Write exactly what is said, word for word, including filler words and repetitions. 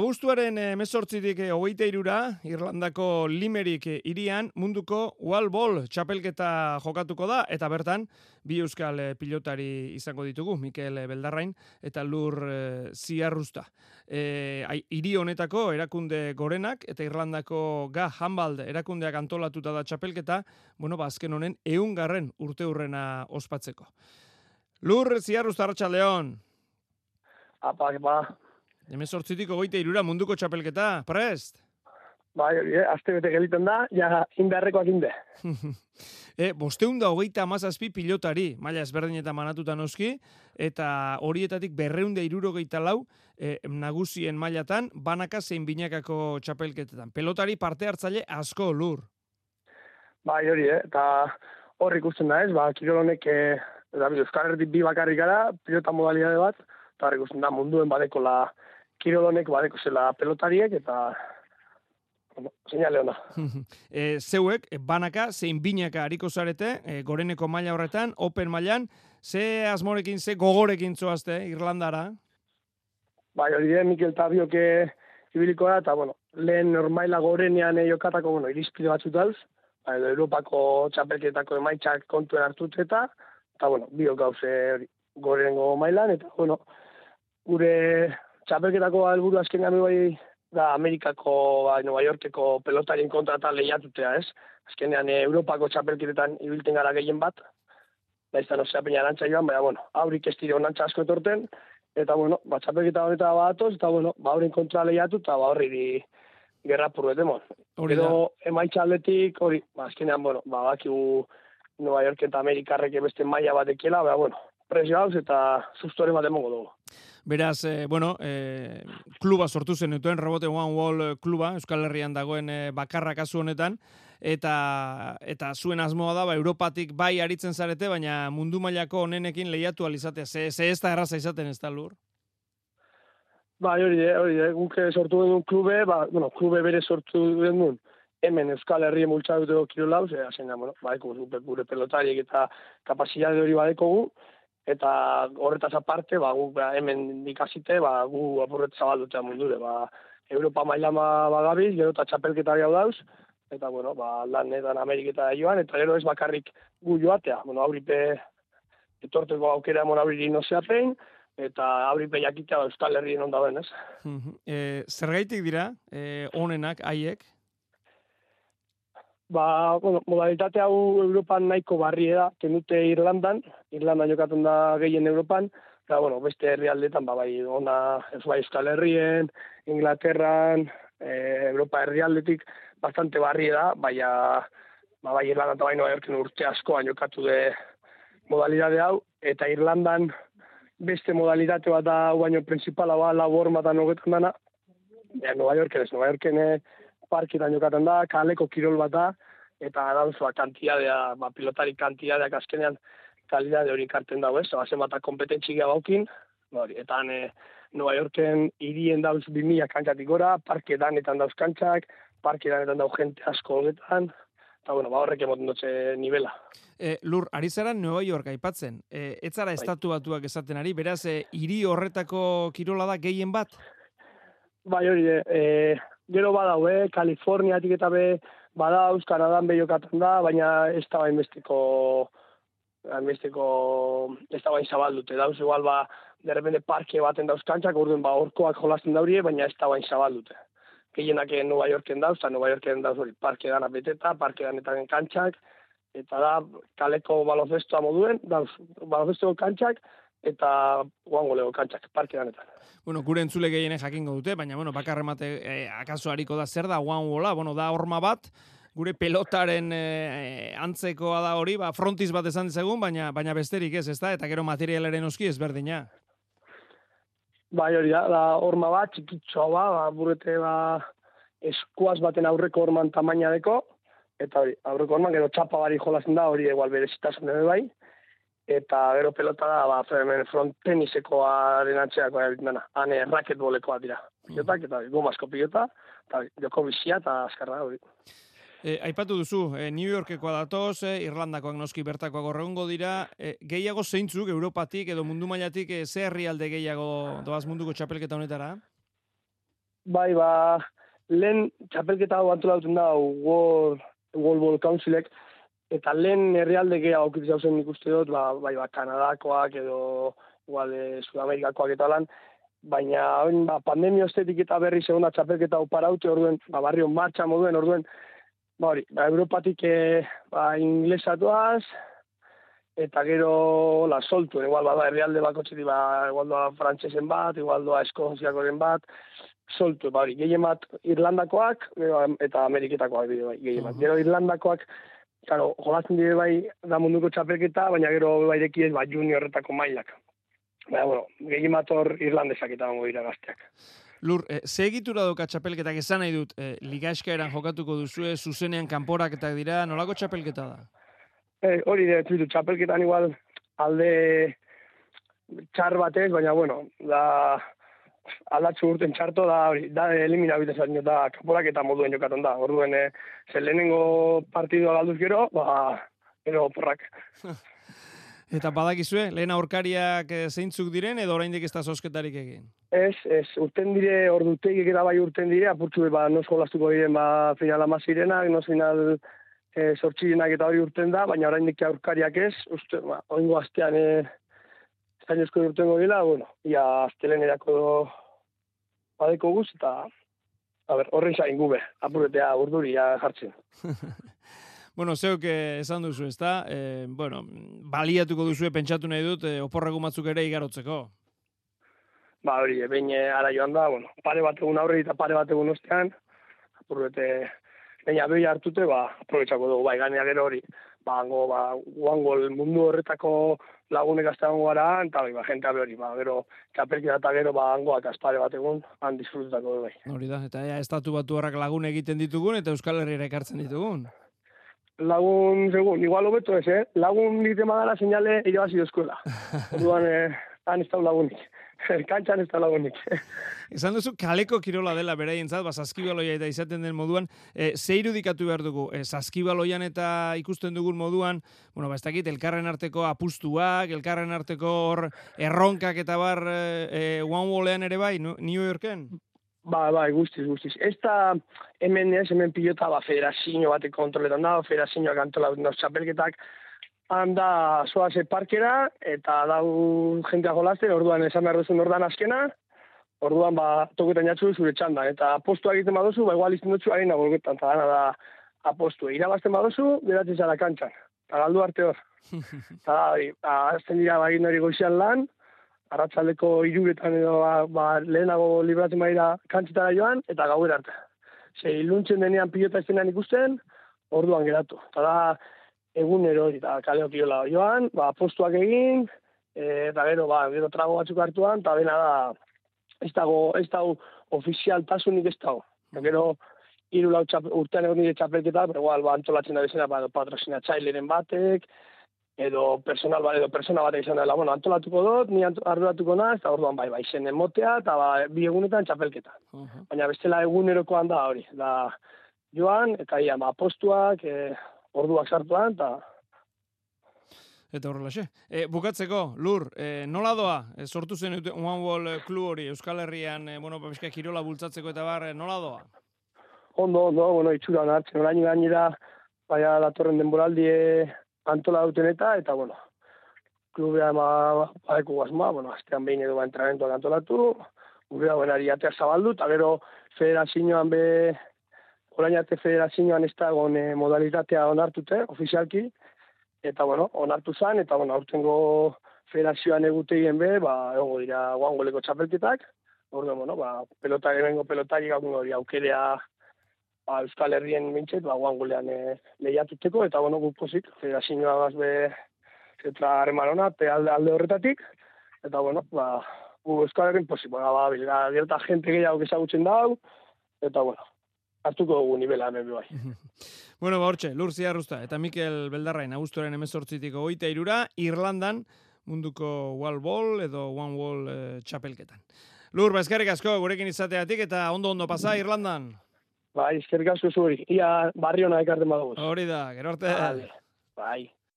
Abuztuaren hemezortzitik hogeita hirura Irlandako Limerick hirian munduko Wall Ball txapelketa jokatuko da, eta bertan bi euskal pilotari izango ditugu, Mikel Beldarrain eta Lur Ziarrusta. E, hiri honetako erakunde gorenak eta Irlandako Ga Handball erakundeak antolatuta da txapelketa, bueno, ba, azken honen ehungarren urte hurrena ospatzeko. Lur Ziarrusta, arratsaldeon. Apa, apa. Hemezortzitik hogeita hirura munduko txapelketa, prest? Bai, hori, eh? Aste bete geliten da, ja inbeharrekoak inde. e, bosteun da hogeita amazazpi pilotari, maila ezberdinetan manatuta noski, eta horietatik berreun da hirurogeita lau e, nagusien mailatan, banaka zein binakako txapelketetan. Pelotari parte hartzaile asko, Lur. Bai, hori, eh? Eta hor ikusten da ez, ba, kirol honek, eh, Euskal Herritik bi bakarrik gara, pilota modalidade bat, eta hor ikusten da munduen badekola kirolonek badeko zela pelotariek, eta bueno, seinale ona. e, zeuek, banaka, zein binaka hariko zarete, e, goreneko maila horretan, open mailan, ze asmorekin, ze gogorekin zoazte, Irlandara? Bai, hori de, Mikel Tabioke ibiliko da, eta bueno, lehen normaila gorenean jokatako, bueno, irizpide batzut dauz, bai, Europako txapelketako emaitzak kontuen hartut eta, eta bueno, biok gauze hori gorenengo mailan, eta bueno, gure txapelketako helburu azkenean bai da Amerikako, bai, Nueva Yorkeko pelotarien kontra eta lehiatutea, ez? Azkenean Europako txapelketetan ibilten gara gehien bat, da izan ozea peina arantza joan, baina, bueno, aurik ez dire onantza asko etorten, eta, bueno, ba, txapelketa honeta batoz, eta, bueno, ba, aurin kontra lehiatu, eta, ba, horri di gerra purbetemon. Edo, emaitza aldetik, hori, ba, azkenean, bueno, ba, bakigu Nueva York eta Amerikarrek beste maila batekiela, baina, bueno, presio hauz eta sustore bat emongo dugu. Beraz, eh, bueno, eh, kluba sortu zen duten, Robote One Wall kluba, Euskal Herrian dagoen eh, bakarra kasu honetan, eta eta zuen asmoa da, ba, Europatik bai aritzen zarete, baina mundu mailako honenekin lehiatu alizatea. Ze, ze ez da erraza izaten ez da, Lur? Ba, hori, hori, guk sortu den klube, ba, bueno, klube bere sortu den duen, hemen Euskal Herrien multzaduteko kirolau, ze, hasen da, bueno, badeko gure pelotariek eta kapazidade hori badekogu, eta horretaz aparte, ba, gu hemen ikasite, ba, gu apurret zabaldutea mundure, ba, Europa maila bagabiz, gero eta txapelketari hau dauz, eta, bueno, ba, lanetan Ameriketa joan, eta gero ez bakarrik gu joatea, bueno, auripe etorteko aukera emon auriri nozeapein, eta auripe jakitea Euskal Herrien ondaben, ez? e, Zergaitik dira, e, onenak, haiek? Ba, bueno, modalitate hau Europan nahiko barrie da, kenute Irlandan, Irlandan jokatzen da gehien Europan, eta, bueno, beste herrialdetan, ba, bai, ona, ez bai Euskal Herrien, Inglaterran, e, Europa herrialdetik, bastante barrie da, baina, ba, bai, Irlandan eta bai Nueva Yorken urte askoan jokatu de modalidade hau, eta Irlandan beste modalitate bat da, baino principala ba, labor matan hogetan dana, ja, Nueva Yorken ez, Nueva Yorken parketan jokaten da, kaleko kirol bat da, eta dauzua kantidadea, ba, pilotari kantidadeak azkenean kalidade hori karten dago ez, bazen bat kompetentzigia baukin, hori, eta e, Nueva Yorken hirien dauz bimila kantxatik gora, parke danetan dauz kantxak, parke danetan dauz jente asko honetan, eta bueno, ba, horrek emoten dutze nivela. E, Lur, ari zara Nueva York aipatzen, e, ez zara estatu batuak esaten ari, beraz, e, hiri horretako kirola da gehien bat? Bai, hori, e, gero badau, eh? Kaliforniatik eta be badauz, Kanadan be jokatzen da, baina ez da bain besteko, besteko, ez da bain zabaldute, dauz igual ba, derrepende parke baten dauz kantxak, orduan ba, orkoak jolasten daurie, baina ez da bain zabaldute. Gehienak Nueva Yorken dauz, eta Nueva Yorken dauz hori parke dana beteta, parke danetan kantxak, eta da, kaleko baloncestoa moduen, dauz baloncesto kantxak, eta guango lego kantxak, parke danetan. Bueno, gure entzule gehienen jakingo dute, baina, bueno, bakarremate eh, akaso hariko da zer da guangola, bueno, da horma bat, gure pelotaren eh, antzekoa da hori, ba, frontiz bat esan dezagun, baina, baina besterik ez, ez da, eta gero materialaren oski ezberdina. Bai, hori da, da horma bat, txikitxoa ba, ba burete ba, eskuaz baten aurreko horman tamaina deko, eta hori, aurreko horman, gero txapa bari jolazen da, hori egual berezitasun edo bai, eta gero pelota da, ba, front tenisekoaren atxeako dana, hane raketbolekoa dira. Pilotak, eta gomazko pilota, eta joko bizia, eta azkarra hori. E, aipatu duzu, e, New Yorkekoa datoz, e, Irlandakoak noski bertakoak horregongo dira, e, gehiago zeintzuk, Europatik edo mundu mailatik, e, ze herrialde gehiago doaz munduko txapelketa honetara? bai, ba, lehen txapelketa hau antolatzen da World, World Ball Councilek, eta lehen herrialde gehiago aukitza zen ikuste dut, ba, bai, ba, Kanadakoak edo igual e, Sudamerikakoak eta lan, baina oin, ba, pandemia ostetik eta berri segunda txapelketa hau paraute, orduen, ba, barrio martxa moduen, orduen, ba, hori, ba, Europatik e, ba, inglesatuaz, eta gero la soltu, igual bada herrialde bakotxetik, ba, igual doa frantsesen bat, igual doa eskoziakoren bat, soltu, ba, hori, gehien bat Irlandakoak, gero, eta Ameriketakoak bide bai, gehien bat. Gero Irlandakoak, claro, jolatzen dire bai da munduko txapelketa, baina gero bai dekiez, ba, juniorretako mailak. Baina, bueno, gehien bat hor Irlandesak eta gongo dira gazteak. Lur, eh, ze egitura doka txapelketak esan nahi dut, eh, liga eskaeran jokatuko duzue, zuzenean kanporaketak dira, nolako txapelketa da? Eh, hori de, tuitu, txapelketan igual alde txar batez, baina, bueno, da aldatzu urten txarto da, hori, da elimina bitezatzen da kanporaketa moduen jokatzen da. Orduen, eh, zer lehenengo partidua galduz gero, ba, gero porrak. Eta badakizue, lehen aurkariak zeintzuk diren, edo oraindik ez da zozketarik egin? Ez, ez, urten dire, ordutegik eta bai urten dire, apurtzu, ba, nos jolastuko diren, ba, final amazirenak, nos final e, sortxirenak eta hori urten da, baina oraindik aurkariak ez, uste, ba, oingo astean, e, estainezko urtengo dira, bueno, ia aztelen erako badeko guz, eta, a ber, horren zain gube, apuretea urduri jartzen. Bueno, zeok esan duzu, ezta? Eh, bueno, baliatuko duzue pentsatu nahi dut, eh, oporreko batzuk ere igarotzeko. Ba, hori, behin ara joan da, bueno, pare bat egun aurre eta pare bat egun ostean, apurrete, baina behi hartute, ba, aprobetsako dugu, bai, ganea gero hori, ba, hango, ba, guango mundu horretako lagunek azteago gara, eta bai, ba, jentea hori, ba, gero, txapelketa eta gero, ba, hangoak azpare bat egun, han disfrututako dugu, bai. Hori da, eta ja, estatu batu horrak lagun egiten ditugun, eta Euskal Herriera ekartzen ditugun. Lagun, segun, igual hobeto ez, eh? Lagun egiten badala seinale irabazi dozkuela. Orduan, eh, han ez da lagunik. Kantxan ez da lagunik. Esan duzu, kaleko kirola dela beraientzat, ba, saskibaloia eta izaten den moduan, e, ze irudikatu behar dugu? E, saskibaloian eta ikusten dugun moduan, bueno, ba, ez dakit, elkarren arteko apustuak, elkarren arteko hor erronkak eta bar e, one-wallean ere bai, New Yorken? Ba, ba, guztiz, guztiz. Ez da hemen ez, hemen pilota, ba, federazio batek kontroletan da, federazioak antolatzen da txapelketak, handa zoaze parkera, eta dau jentea jolazten, orduan esan behar duzun ordan azkena, orduan, ba, toketan jatzu zure txandan, eta apostua egiten baduzu, ba, igual izten dutzu harina bolgetan, eta gana da apostu. Irabazten baduzu, geratzen zara kantxan, eta galdu arte hor. Eta da, azten dira, ba, egin hori goizian lan, arratsaldeko hiruretan edo ba, ba, lehenago libratzen baira kantzetara joan, eta gauer arte. Ze, iluntzen denean pilota estenan ikusten, orduan geratu. Eta da, egunero eta kaleo kirola joan, ba, postuak egin, e, eta gero, ba, gero trago batzuk hartuan, eta bena da, ez dago, ez dago, ofizialtasunik ez dago. Eta gero, hiru lau urtean egon nire txapelketa, pero igual, ba, antolatzen da bezena, ba, patrozinatzaileren batek, edo personal bat, edo persona bat izan dela, bueno, antolatuko dut, ni arduratuko naz, eta orduan bai, bai, zen emotea, eta ba, bi egunetan txapelketa. Uh -huh. Baina bestela egunerokoan da hori, da joan, eta ia, ba, postuak, e, orduak sartuan, eta... Eta horrelaxe. E, bukatzeko, Lur, e, nola doa? E, sortu zen One Wall Club hori, Euskal Herrian, e, bueno, pizka kirola bultzatzeko eta bar, e, nola doa? Ondo, ondo, bueno, itxura hartzen, orain gainera, baina datorren denboraldie antola duten eta, eta, bueno, klubea ema badeko guazma, bueno, astean behin edo ba entrenamentoak antolatu, gure buenari atea zabaldu, eta gero federazioan be, orain arte federazioan ez da egon e, modalitatea onartute, ofizialki, eta, bueno, onartu zan, eta, bueno, aurtengo federazioan egutegien be, ba, egongo dira guangoleko txapelketak, orduan, bueno, ba, pelota, ebengo pelotari gaukun hori aukerea, ba, Euskal Herrien mintxet, ba, guangolean e, lehiatuteko, eta, bueno, gupozik, federazioa gazbe, zetra harremanona, alde, alde horretatik, eta, bueno, ba, gu Euskal Herrien posik, ba, ba, bilga, gerta gente gehiago ezagutzen dau, eta, bueno, hartuko dugu nivela hemen bai. Bueno, ba, hortxe, Lur Ziarruzta eta Mikel Beldarrain, abuztuaren hemezortzitik hogeita hirura, Irlandan, munduko wall ball edo one wall e, txapelketan. Lur, ba, eskerrik asko, gurekin izateatik, eta ondo-ondo pasa Irlandan. Bai, eskerrik asko zuri. Ia barri hona ekarten badugu. Hori da, gero arte. Vale. Bai.